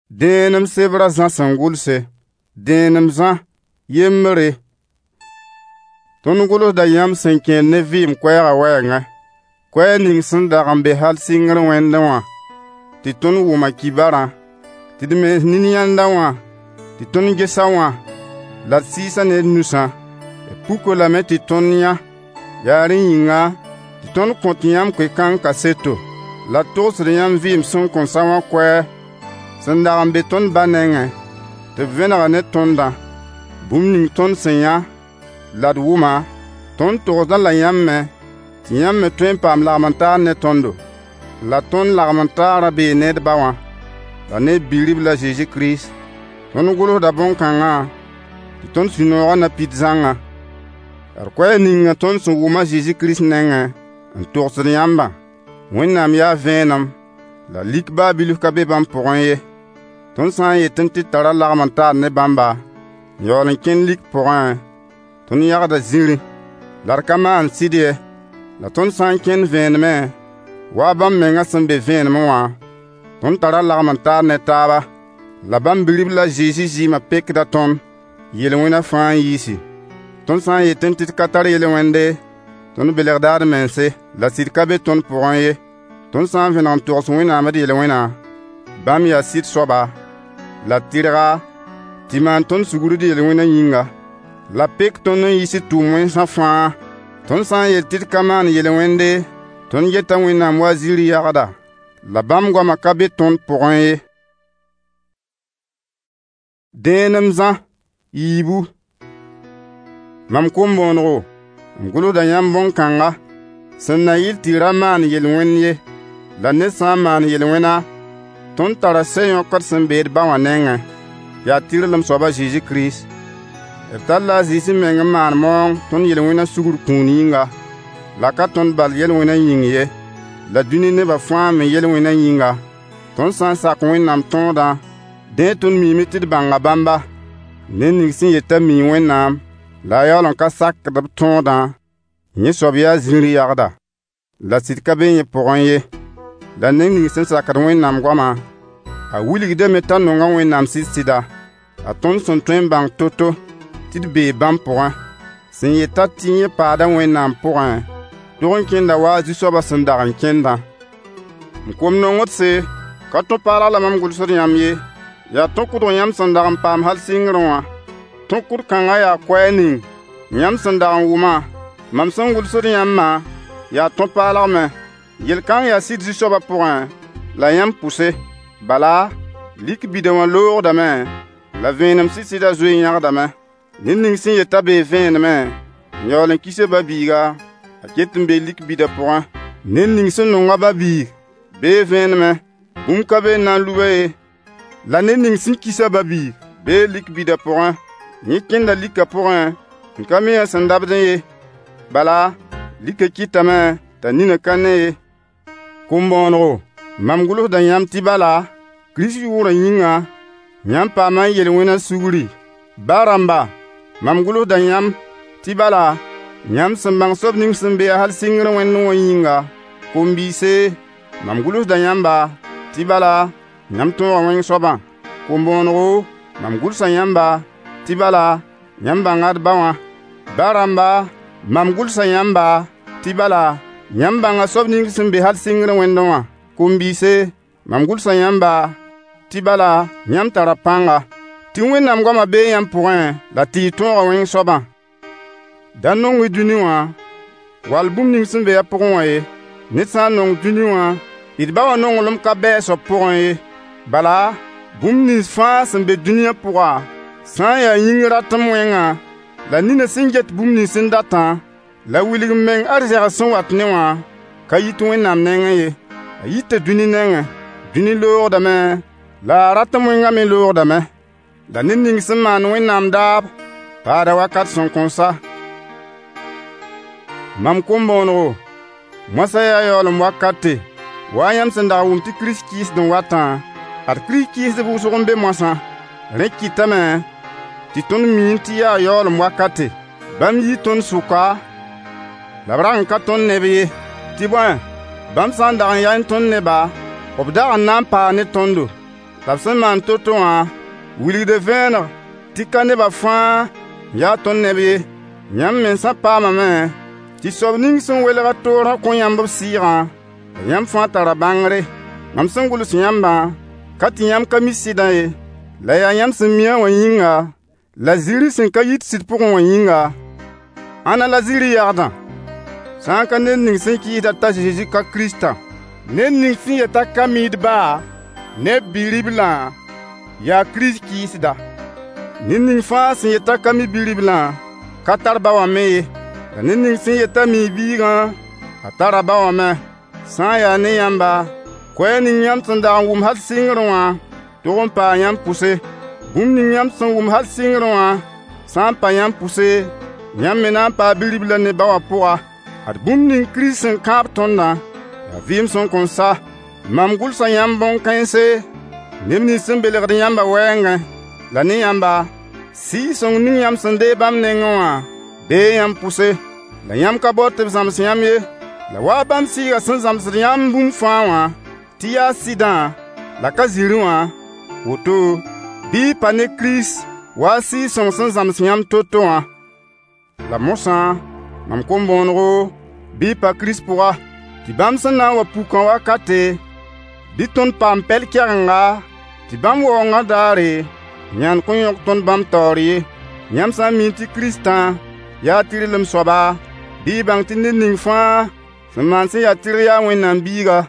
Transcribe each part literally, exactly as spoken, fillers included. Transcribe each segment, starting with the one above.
Dẽenem sebr a Zã sẽn gʋlse. Dẽenem Zã, yembre. Tõnd gʋlsda yãmb sẽn kẽed ne vɩɩm koɛɛga wɛɛngẽ, koɛɛg ning sẽn dag n be al sɩngr wẽndẽ wã, tɩ tõnd wʋm a kibarã, tɩ d mens nin yãnd-a wã, tɩ tõnd ges-a wã, la d sɩɩs-a ne d nusã. B puk-b lame tɩ tõnd yã. Yaa rẽ yĩnga tɩ tõnd kõt yãmb koe-kãng kaseto, la d togsd yãmb vɩɩm sẽn kõn sa wã koɛɛg sẽn dag n be tõnd Ba nengẽ, tɩ b vẽnega ne tõndã. Bũmb ning tõnd sẽn yã la d wʋma, tõnd togsdã la yãmb me, tɩ yãmb me tõe n paam lagem-n-taar ne tõndo. La tõnd lagem-n-taarã bee ne d Ba wã, la ne b Bi-ribl a Zezi Kirist. Tõnd gʋlsda bõn-kãngã tɩ tõnd sũ-noogã na pid zãnga. Ad koɛɛg ninga tõnd sẽn wʋm a Zezi Kirist nengẽ n togsd yãmbã: Wẽnnaam yaa vẽenem, la lik baa bilf ka be bãmb pʋgẽ ye. Tõnd sã n yetẽ tɩ d tara lagem-n-taar ne bãmba, n yaool n kẽnd lik pʋgẽ, tõnd yagda zĩrĩ, la d ka maand sɩd ye. La tõnd sã n kẽnd vẽenemẽ, wa bãmb mengã sẽn be vẽenemẽ wã, tõnd tara lagem-n-taar ne taaba. La bãmb Bi-ribl a Zezi zɩɩmã pekda tõnd yel-wẽna fãa n yiisi. Tõnd sã n yetẽ tɩ d ka tar yel-wẽnde, tõnd belgda d mense, la sɩd ka be tõnd pʋgẽ ye. Tõnd sã n vẽneg n togs Wẽnnaam d yel-wẽna, bãmb yaa sɩd soaba, la tɩrga, tɩ maan tõnd sugr d yel-wẽna yĩnga, la pek tõnd n yiis d tʋʋm-wẽnsã fãa. Tõnd sã n yeel tɩ d ka maan yel-wẽnde, tõnd yeta Wẽnnaam wa zĩri yagda, la bãmb goama ka be tõnd pʋgẽ ye. Dẽenem Zã, yiibu. Mam kom-bõonego, m gʋlsda yãmb bõn-kãnga, sẽn na yɩl tɩ y ra maan yel-wẽnd ye. La ned sã n maan yel-wẽna, tõnd tara sɛ-yõkd sẽn be d Ba wã nengẽ, yaa tɩrlem soab a Zezi Kirist. B talla a Zezi meng n maan maoong tõnd yel-wẽna sugr kũun yĩnga, la ka tõnd bal yel-wẽna yĩng ye, la dũni nebã fãa me yel-wẽna yĩnga. Tõnd sã n sak Wẽnnaam tõodã, dẽ tõnd miime tɩ d bãnga bãmba. Ned ning sẽn yet t'a mii Wẽnnaam, la a yaool n ka sakd b tõodã, yẽ soab yaa zĩri yagda, la sɩd ka be yẽ pʋgẽ ye. La ned ning sẽn sakd Wẽnnaam goama, a wilgdame t'a nonga Wẽnnaam sɩd-sɩda. A tõnd sẽn tõe n bãng to-to tɩ d bee bãmb pʋgẽ. Sẽn yet-a tɩ yẽ paada Wẽnnaam pʋgẽ, tog n kẽnda wa a Zu-soabã sẽn dag n kẽndã. M kom-nongdse, ka tõ-paalg la mam gʋlsd yãmb ye, yaa tõ-kʋdg yãmb sẽn dag n paam hal sɩngrẽ wã. Tõ-kʋd-kãngã yaa koɛɛg ning yãmb sẽn dag n wʋmã. Mam sẽn gʋlsd yãmbã yaa tõ-paalg me. Yel-kãng yaa sɩd Zu-soabã pʋgẽ, la yãmb pʋse. Bala, lik bida wã loogdame, la vẽenem sɩd-sɩdã zoe n yãgdame. Ned ning sẽn yet t'a bee vẽenemẽ, n yaool n kis a ba-biiga, a ket n bee lik bida pʋgẽ. Ned ning sẽn nong a ba-biig bee vẽenemẽ, bũmb ka be n na n lub-a ye. La ned ning sẽn kis a ba-biig bee lik bida pʋgẽ. Yẽ kẽnda likã pʋgẽ n ka mi a sẽn dabdẽ ye. Bala, likã kɩtame t'a ninã ka ne ye. Kom-bõonego, mam gʋlsda yãmb tɩ bala, Kirist yʋʋrã yĩnga, yãmb paama y yel-wẽna sugri. Ba-rãmba, mam gʋlsda yãmb tɩ bala, yãmb sẽn bãng soab ning sẽn be-a hal sɩngr wẽndẽ wã yĩnga. Kom-biise, mam gʋlsda yãmba, tɩ bala, yãmb tõoga wẽng soabã. Kom-bõonego, mam gʋlsa yãmba, tɩ bala, yãmb bãnga d Ba wã. Ba-rãmba, mam gʋlsa yãmba, tɩ bala, yãmb bãnga soab ning sẽn be hal sɩngr wẽndẽ wã. Kom-biise, mam gʋlsa yãmba, tɩ bala, yãmb tara pãnga, tɩ Wẽnnaam goamã bee yãmb pʋgẽ, la tɩ y tõoga wẽng soabã. Da nong-y dũni wã, wall bũmb ning sẽn be a pʋgẽ wã ye. Ned sã n nong dũni wã, d Ba wã nonglem ka be a soab pʋgẽ ye. Bala, bũmb nins fãa sẽn be dũniyã pʋga, sã n yaa yĩng ratem wẽngã, la nina sẽn get bũmb nins n datã, la wilg-m-meng arzegs sẽn wat ne wã, ka yit Wẽnnaam nengẽ ye. A yita dũni nengẽ. Dũni loogdame, la a ratem wẽngã me loogdame. La ned ning sẽn maand Wẽnnaam daab paada wakat sẽn kõn sa. Mam kom-bõonego, moasã yaa yaoolem wakate. Wa yãmb sẽn dag n wʋm tɩ Kirist kɩɩsd n watã, ad Kirist kɩɩsdb wʋsg n be moasã. Rẽ kɩtame tɩ tõnd miẽ tɩ yaa yaoolem wakate. Bãmb yii tõnd sʋka, la b rag n ka tõnd neb ye. Tɩ bõe, bãmb sã n dag n yaẽ tõnd neba, b dag n na n paa ne tõndo. La b sẽn maan to-to wã wilgda vẽeneg tɩ ka neba fãa n ya tõnd neb ye. Yãmb mensã paamame tɩ soab ning sẽn welg a toorã kõ yãmb b sɩɩgã, la yãmb fãa tara bãngre. Mam sẽn gʋls yãmbã, ka tɩ yãmb ka mi sɩdã ye, la yaa yãmb sẽn mi-a wã yĩnga, la zĩri sẽn ka yit sɩd pʋgẽ wã yĩnga. Ãnna la zĩri yagdã, sã n ka ned ning sẽn kɩɩsd t'a Zezi ka Kiristã? Ned ning sẽn yet t'a ka mi d ba ne b Bi-riblã, yaa Kirist-kɩɩsda. Ned ning fãa sẽn yet t'a ka mi Bi-riblã, ka tar ba wã me ye. La ned ning sẽn yet t'a mii Biigã, a tara ba wã me. Sã n yaa ne yãmba, koɛɛg ning yãmb sẽn dag n wʋm hal sɩngrẽ wã tog n paa yãmb pʋse. Bũmb ning yãmb sẽn wʋm hal sɩngrẽ wã sã n pa yãmb pʋse, yãmb me na n paa Bi-riblã ne ba wã pʋga. Ad bũmb ning Kirist sẽn kãab tõndã, yaa vɩɩm sẽn kõn sa. Mam gʋlsa yãmb bõn-kãense neb nins sẽn belgd yãmbã wɛɛngẽ. La ne yãmba, Sɩɩg-sõng ning yãmb sẽn deeg bãmb nengẽ wã bee yãmb pʋse. La yãmb ka bao tɩ b zãms yãmb ye. La wa bãmb Sɩɩgã sẽn zãmsd yãmb bũmb fãa wã, tɩ yaa sɩdã la ka zĩri wã, woto bɩ y pa ne Kirist wa a Sɩɩg-sõng sẽn zãms yãmb to-to wã. La mosã, mam kom-bõonego, bɩ y pa Kirist pʋga, tɩ bãmb sẽn na n wa pukã wakate, bɩ tõnd paam pɛl-kɛgenga, tɩ bãmb waoongã daare, yãnd kõn yõk tõnd bãmb taoor ye. Yãmb sã n miẽ tɩ Kiristã yaa tɩrlem soaba, bɩ y bãng tɩ ned ning fãa sẽn maan sẽn ya tɩrg yaa Wẽnnaam biiga.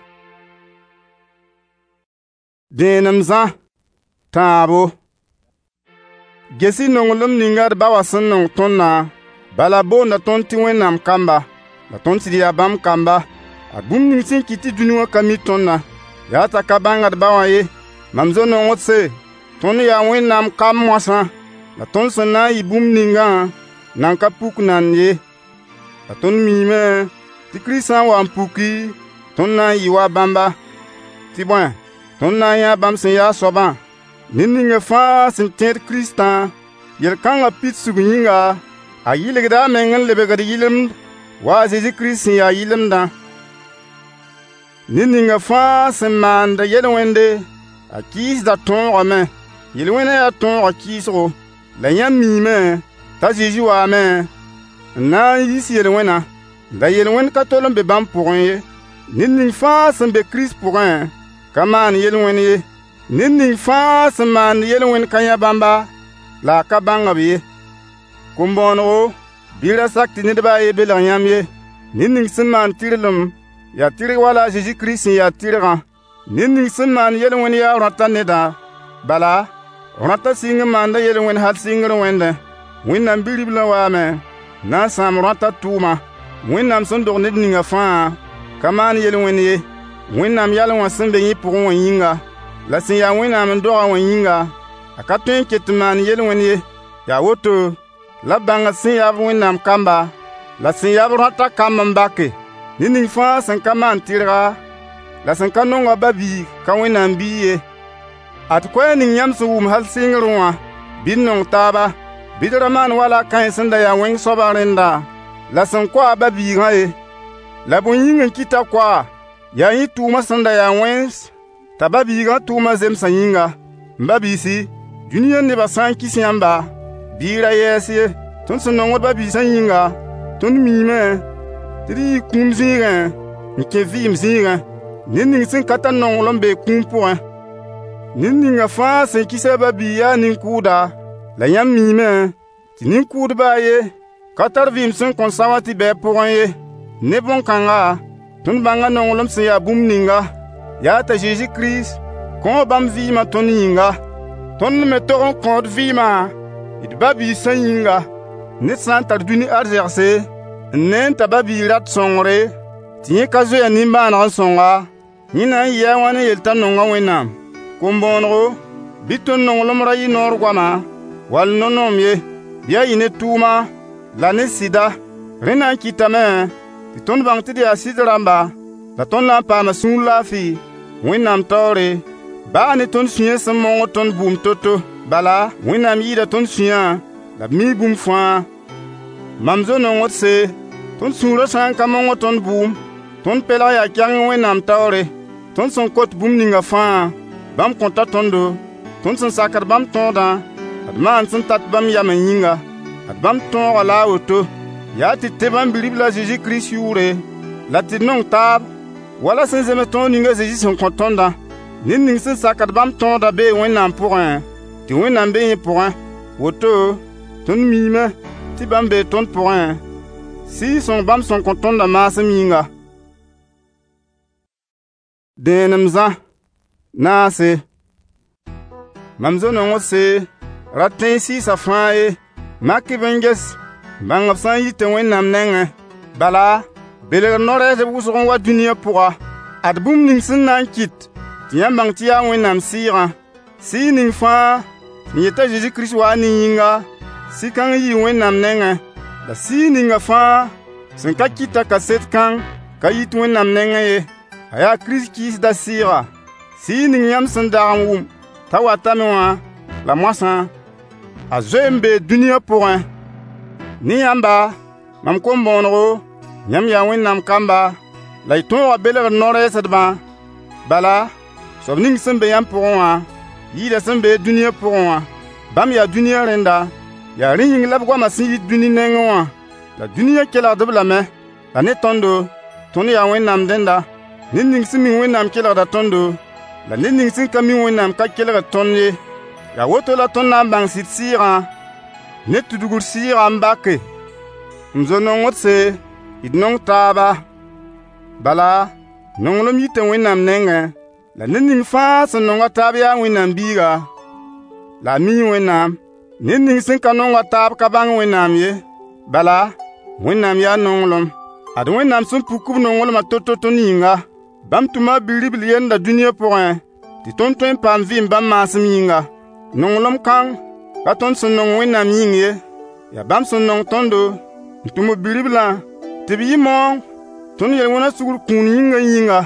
Dẽenem Zã tãabo. Ges-y nonglem ninga d ba wã sẽn nong tõndã, bala b boonda tõnd tɩ Wẽnnaam kamba. La tõnd sɩd yaa bãmb kamba. Ad bũmb ning sẽn kɩt tɩ dũni wã ka mi tõndã, yaa t'a ka bãng d ba wã ye. Mam zo-nongdse, tõnd yaa Wẽnnaam kamb moasã, la tõnd sẽn na n yɩ bũmb ningã nan ka puk nand ye. La tõnd miime tɩ Kirist sã n wa n puki, tõnd na n yɩɩ wa bãmba. Tɩ bõe, tõnd na n yãa bãmb sẽn ya a soabã. Ned ninga fãa sẽn tẽed Kiristã, yel-kãngã pidsg yĩnga, a yɩlgda a meng n lebgd yɩlemd wa a Zezi Kirist sẽn ya yɩlemdã. Ned ninga fãa sẽn maand yel-wẽnde, a kɩɩsda tõogã me. Yel-wẽnã yaa tõogã kɩɩsgo. La yãmb miime t'a Zezi waame n na n yiis yel-wẽnã. La yel-wẽnd ka tol n be bãmb pʋgẽ ye. Ned ning fãa sẽn be Kirist pʋgẽ ka maan yel-wẽnd ye. Ned ning fãa sẽn maand yel-wẽnd ka yã bãmba, la a ka bãng-b ye. Kom-bõonego, bɩ y ra sak tɩ ned ba a yen belg yãmb ye. Ned ning sẽn maand tɩrlem yaa tɩrg wala a Zezi Kirist sẽn ya tɩrgã. Ned ning sẽn maand yel-wẽnd yaa rõatã neda, bala, rõatã sɩng n maanda yel-wẽnd hal sɩngr wẽndẽ. Wẽnnaam Bi-riblã waame n na n sãam rõatã tʋʋma. Wẽnnaam sẽn dog ned ninga fãa ka maan yel-wẽnd ye, Wẽnnaam yalẽ wã sẽn be yẽ pʋgẽ wã yĩnga. La sẽn ya Wẽnnaam n dog-a wã yĩnga, a ka tõe n ket n maan yel-wẽnd ye. Yaa woto la b bãngd sẽn ya-b Wẽnnaam kamba la sẽn ya-b rõatã kamb n bake. Ned ning fãa sẽn ka maan tɩrga la sẽn ka nong a ba-biig ka Wẽnnaam biig ye. Ad koɛɛg ning yãmb sẽn wʋm hal sɩngrẽ wã, bɩ d nong taaba. Bɩ d ra maan wala a Kayẽ sẽn da ya wẽng soabã rẽnda la sẽn kʋ a ba-biigã ye. La bõe yĩng n kɩt t'a kʋ-a? Yaa yẽ tʋʋmã sẽn da ya wẽns t'a ba-biigã tʋʋmã zemsã yĩnga. M ba-biisi, dũniyã nebã sã n kis yãmba, bɩ y ra yɛɛs ye. Tõnd sẽn nong d ba-biisã yĩnga, tõnd miime tɩ d yii kũum zĩigẽ n kẽ vɩɩm zĩigẽ. Ned ning sẽn ka tar nonglem bee kũum pʋgẽ. Ned ninga fãa sẽn kis a ba-biig yaa nin-kʋʋda, la yãmb miime tɩ nin-kʋʋd ba a yen ka tar vɩɩm sẽn kõn sa wã tɩ bɩ a pʋgẽ ye. Ne bõn-kãnga, tõnd bãnga nonglem sẽn ya bũmb ninga, yaa t'a Zezi Kirist kõo bãmb vɩɩmã tõnd yĩnga. Tõnd me tog n kõo d vɩɩmã d ba-biisã yĩnga. Ned sã n tar dũni arzegse n neend t'a ba-biig rat sõngre, tɩ yẽ ka zoe a nimbãaneg n sõng-a, yẽ na n yɩɩ a wãn n yeel t'a nonga Wẽnnaam? Kom-bõonego, bɩ tõnd nonglem ra yɩ noor goama wall no-noom ye, bɩ a yɩ ne tʋʋma la ne sɩda. Rẽ na n kɩtame tɩ tõnd bãng tɩ d yaa sɩd rãmba, la tõnd na n paama sũur laafɩ Wẽnnaam taoore, baa ne tõnd sũyã sẽn mongd tõnd bʋʋm to-to. Bala, Wẽnnaam yɩɩda tõnd sũyã la b mii bũmb fãa. Mam zo-nongdse, tõnd sũurã sã n ka mongd tõnd bʋʋm, tõnd pɛlg yaa kɛgeng Wẽnnaam taoore. Tõnd sẽn kot bũmb ninga fãa, Bãmb kõta tõndo, tõnd sẽn sakd bãmb tõodã la d maan sẽn tat bãmb yamã yĩnga. Ad bãmb tõogã la a woto: yaa tɩ d tẽ bãmb Bi-ribl a Zezi Kirist yʋʋre, la tɩ d nong taab wala sẽn zems tõog ning a Zezi sẽn kõ tõndã. Ned ning sẽn sakd bãmb tõodã bee Wẽnnaam pʋgẽ, tɩ Wẽnnaam be yẽ pʋgẽ. Woto tõnd miime tɩ bãmb bee tõnd pʋgẽ, Sɩɩg-sõng bãmb sẽn kõ tõndã maasem yĩnga. Dẽenem Zã, naase. Mam zo-nongdse, ra tẽ y sɩɩsã fãa ye. Mak-y-b n ges n bãng b sã n yita Wẽnnaam nengẽ. Bala, belgr no-rɛɛsdb wʋsg n wa dũniyã pʋga. Ad bũmb ning sẽn na n kɩt tɩ yãmb bãng tɩ yaa Wẽnnaam Sɩɩgã: Sɩɩg ning fãa sẽn yet t'a Zezi Kirist waa ne yĩnga, sɩ-kãng yii Wẽnnaam nengẽ. La sɩɩg ninga fãa sẽn ka kɩt-a kaset kãng ka yit Wẽnnaam nengẽ ye. A yaa kirist-kɩɩsdã sɩɩga. Sɩɩg ning yãmb sẽn dag n wʋm t'a watame wã, la moasã, a zoe n bee dũniyã pʋgẽ. Ne yãmba, mam kom-bõonego, yãmb yaa Wẽnnaam kamba, la y tõoga belgr no-rɛɛsdbã. Bala, soab ning sẽn be yãmb pʋgẽ wã yɩɩda sẽn be-a dũniyã pʋgẽ wã. Bãmb yaa dũniyã rẽnda, yaa rẽ yĩng la b goamã sẽn yit dũni nengẽ wã, la dũniyã kelgd-b lame. La ne tõndo, tõnd yaa Wẽnnaam dẽnda. Ned ning sẽn mi Wẽnnaam kelgda tõndo, la ned ning sẽn ka mi Wẽnnaam ka kelgd tõnd ye. Yaa woto la tõnd na n bãng sɩd sɩɩgã ne tudgr sɩɩgã n bake. M zo-nongdse, d nong taaba. Bala, nonglem yita Wẽnnaam nengẽ, la ned ning fãa sẽn nong a taab yaa Wẽnnaam biiga, la a mii Wẽnnaam. Ned ning sẽn ka nong a taab ka bãng Wẽnnaam ye. Bala, Wẽnnaam yaa nonglem. Ad Wẽnnaam sẽn puk b nonglmã to-to tõnd yĩnga. Bãmb tʋma b Bi-ribl yenda dũniyã pʋgẽ tɩ tõnd tõe n paam vɩɩm bãmb maasem yĩnga. Nonglem kãng ka tõnd sẽn nong Wẽnnaam yĩng ye, yaa bãmb sẽn nong tõndo n tʋm b Bi-riblã tɩ b yɩ maoong tõnd yel-wẽna sugr kũun yĩngã yĩnga.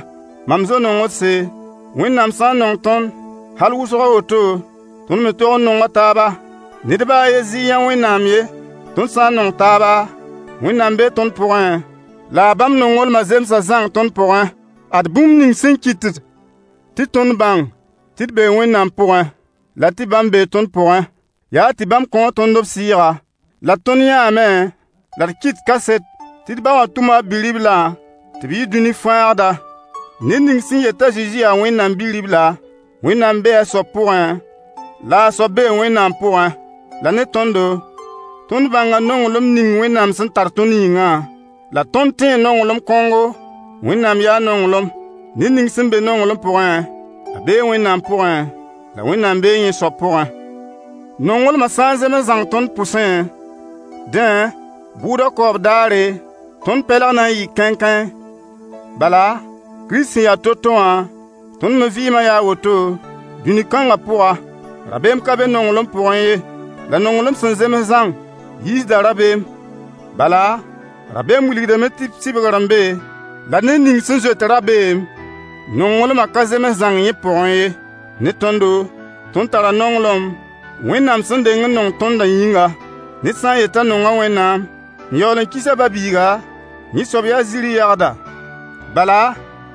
Mam zo-nongdse, Wẽnnaam sã n nong tõnd hal wʋsg a woto, tõnd me tog n nonga taaba. Ned ba a yen zɩ n yã Wẽnnaam ye. Tõnd sã n nong taaba, Wẽnnaam bee tõnd pʋgẽ, la a bãmb nonglmã zemsa zãng tõnd pʋgẽ. Ad bũmb ning sẽn kɩtd tɩ tõnd bãng tɩ d bee Wẽnnaam pʋgẽ, la tɩ bãmb bee tõnd pʋgẽ, yaa tɩ bãmb kõo tõnd b Sɩɩga. La tõnd yãame la d kɩt kaset tɩ d Ba wã tʋma b Bi-riblã tɩ b yɩ dũni fãagda. Ned ning sẽn yet t'a Zezi yaa Wẽnnaam Bi-ribla, Wẽnnaam bee a soab pʋgẽ, la a soab bee Wẽnnaam pʋgẽ. La ne tõndo, tõnd bãnga nonglem ning Wẽnnaam sẽn tar tõnd yĩngã, la tõnd tẽe nonglem kõngo. Wẽnnaam yaa nonglem. Ned ning sẽn be nonglem pʋgẽ, a bee Wẽnnaam pʋgẽ, la Wẽnnaam bee yẽ soab pʋgẽ. Nonglmã sã n zems zãng tõnd pʋsẽ, dẽ, bʋʋdã kaoob daare, tõnd pɛlg na n yɩɩ kãenkãe. Bala, Kirist sẽn ya to-to wã, tõnd me vɩɩmã yaa woto dũni kãngã pʋga. Rabeem ka be nonglem pʋgẽ ye. La nonglem sẽn zems zãng yiisda rabeem. Bala, rabeem wilgdame tɩ sɩbgr n be, la ned ning sẽn zoet rabeem, nonglmã ka zems zãng yẽ pʋgẽ ye. Ne tõndo, tõnd tara nonglem Wẽnnaam sẽn deng n nong tõndã yĩnga. Ned sã n yet t'a nonga Wẽnnaam, n yaool n kis a ba-biiga, yẽ soab yaa ziir-yagda. Bala,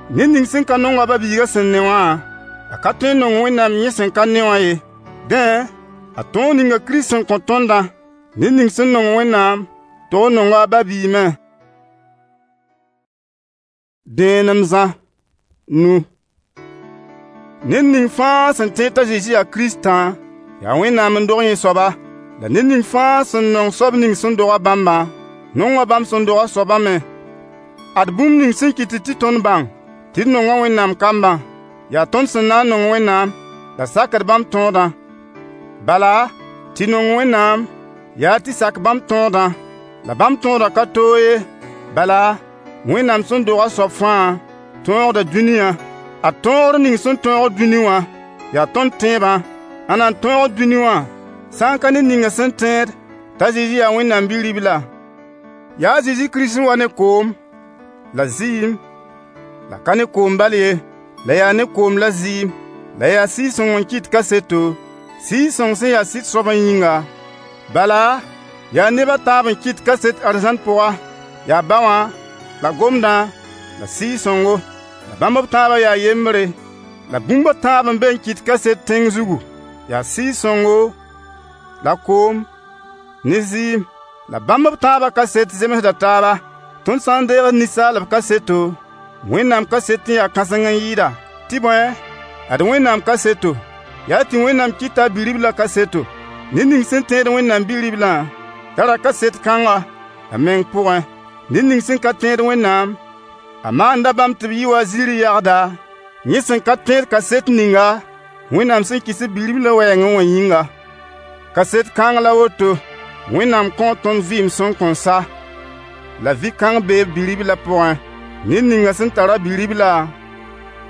ned ning sẽn ka nong a ba-biigã sẽn ne wã, a ka tõe n nong Wẽnnaam yẽ sẽn ka ne wã ye. Dẽ, a tõog ninga Kirist sẽn kõ tõndã. Ned ning sẽn nong Wẽnnaam, tog n nonga a ba-biig me. Dẽenem Zã, nu. Ned ning fãa sẽn tẽed t'a Zezi yaa Kiristã, yaa Wẽnnaam n dog yẽ soaba. La ned ning fãa sẽn nong soab ning sẽn dog-a bãmbã, nonga bãmb sẽn dog a soabã me. Ad bũmb ning sẽn kɩtd tɩ tõnd bãng tɩ d nonga Wẽnnaam kambã, yaa tõnd sẽn na n nong Wẽnnaam la sakd bãmb tõodã. Bala, tɩ nong Wẽnnaam yaa tɩ sak bãmb tõodã. La bãmb tõodã ka toog ye. Bala, Wẽnnaam sẽn dog a soab fãa tõogda dũniyã. A tõogr ning sẽn tõogd dũni wã, yaa tõnd tẽebã. Ãnna n tõogd dũni wã, sã n ka ned ninga sẽn tẽed t'a Zezi yaa Wẽnnaam Bi-ribla? Yaa a Zezi Kirist sẽn wa ne koom la zɩɩm, la ka ne koom bal ye, la yaa ne koom la zɩɩm. La yaa Sɩɩg-sõng n kɩt kaseto, Sɩɩg-sõng sẽn ya sɩd soabã yĩnga. Bala, yaa neb a tãab n kɩt kaset arzãn pʋga: yaa Ba wã, la Gomdã, la Sɩɩg-sõngo. La bãmb b tãabã yaa yembre. La bũmb a tãab n be n kɩt kaset tẽng zugu: yaa Sɩɩg-sõngo la koom ne zɩɩm. La bãmb b tãabã kaset zemsda taaba. Tõnd sã n deegd ninsaalb kaseto, Wẽnnaam kaset n ya kãseng n yɩɩda. Tɩ bõe, ad Wẽnnaam kaseto. Yaa tɩ Wẽnnaam kɩta a Bi-riblã kaseto. Ned ning sẽn tẽed Wẽnnaam Bi-riblã tara kaset kãnga a meng pʋgẽ. Ned ning sẽn ka tẽed Wẽnnaam, a maanda bãmb tɩ b yɩ wa zĩri yagda, yẽ sẽn ka tẽed kaset ninga Wẽnnaam sẽn kɩs b Bi-riblã wɛɛngẽ wã yĩnga. Kaset kãng la woto: Wẽnnaam kõo tõnd vɩɩm sẽn kõn sa, la vɩ-kãng bee b Bi-riblã pʋgẽ. Ned ninga sẽn tar-a Bi-riblã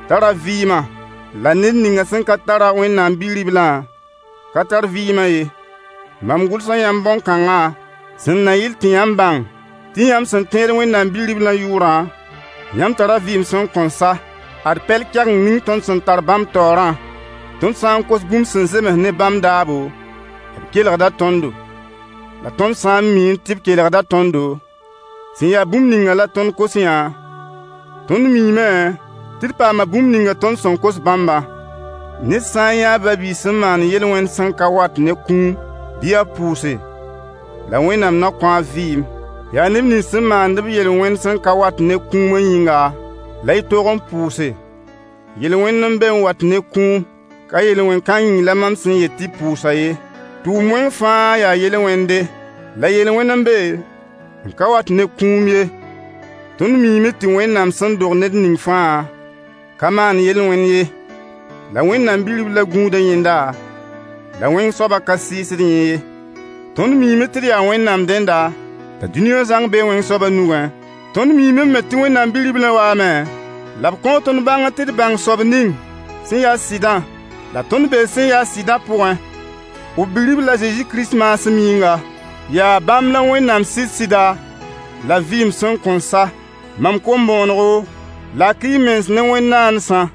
tara vɩɩmã, la ned ninga sẽn ka tar-a Wẽnnaam Bi-riblã ka tar vɩɩmã ye. Mam gʋlsa yãmb bõn-kãngã sẽn na yɩl tɩ yãmb bãng tɩ yãmb sẽn tẽed Wẽnnaam Bi-riblã yʋʋrã, yãmb tara vɩɩm sẽn kõn sa. Ad pɛl-kɛgeng ning tõnd sẽn tar bãmb taoorã. Tõnd sã n kos bũmb sẽn zems ne bãmb daabo, b kelgda tõndo. La tõnd sã n miẽ tɩ b kelgda tõndo, sẽn ya bũmb ninga la tõnd kos yã, tõnd miime tɩ d paama bũmb ninga tõnd sẽn kos bãmbã. Ned sã n yã a ba-biig sẽn maand yel-wẽnd sẽn ka wat ne kũum, bɩ a pʋʋse, la Wẽnnaam na kõ-a vɩɩm. Yaa neb nins sẽn maand-b yel-wẽnd sẽn ka wat ne kũumã yĩnga la y tog n pʋʋse. Yel-wẽnd n be n wat ne kũum, ka yel-wẽn-kãng yĩng la mam sẽn yet tɩ y pʋʋsa ye. Tʋʋm wẽng fãa yaa yel-wẽnde, la yel-wẽnd n be n ka wat ne kũum ye. Tõnd miime tɩ Wẽnnaam sẽn dog ned ning fãa ka maan yel-wẽnd ye. La Wẽnnaam Bi-riblã gũuda yẽnda, la wẽng soabã ka sɩɩsd yẽ ye. Tõnd miime tɩ d yaa Wẽnnaam dẽnda, la dũni wã zãng bee wẽng soabã nugẽ. Tõnd miime me tɩ Wẽnnaam Bi-riblã waame, la b kõo tõnd bãngr tɩ d bãng soab ning sẽn ya sɩdã, la tõnd bee sẽn ya sɩdã pʋgẽ, b Bi-ribl a Zezi Kirist maasem yĩnga. Yaa bãmb la Wẽnnaam sɩd-sɩda la vɩɩm sẽn kõn sa. Mam kom-bõonego, lak-y y mens ne wẽn-naandsã.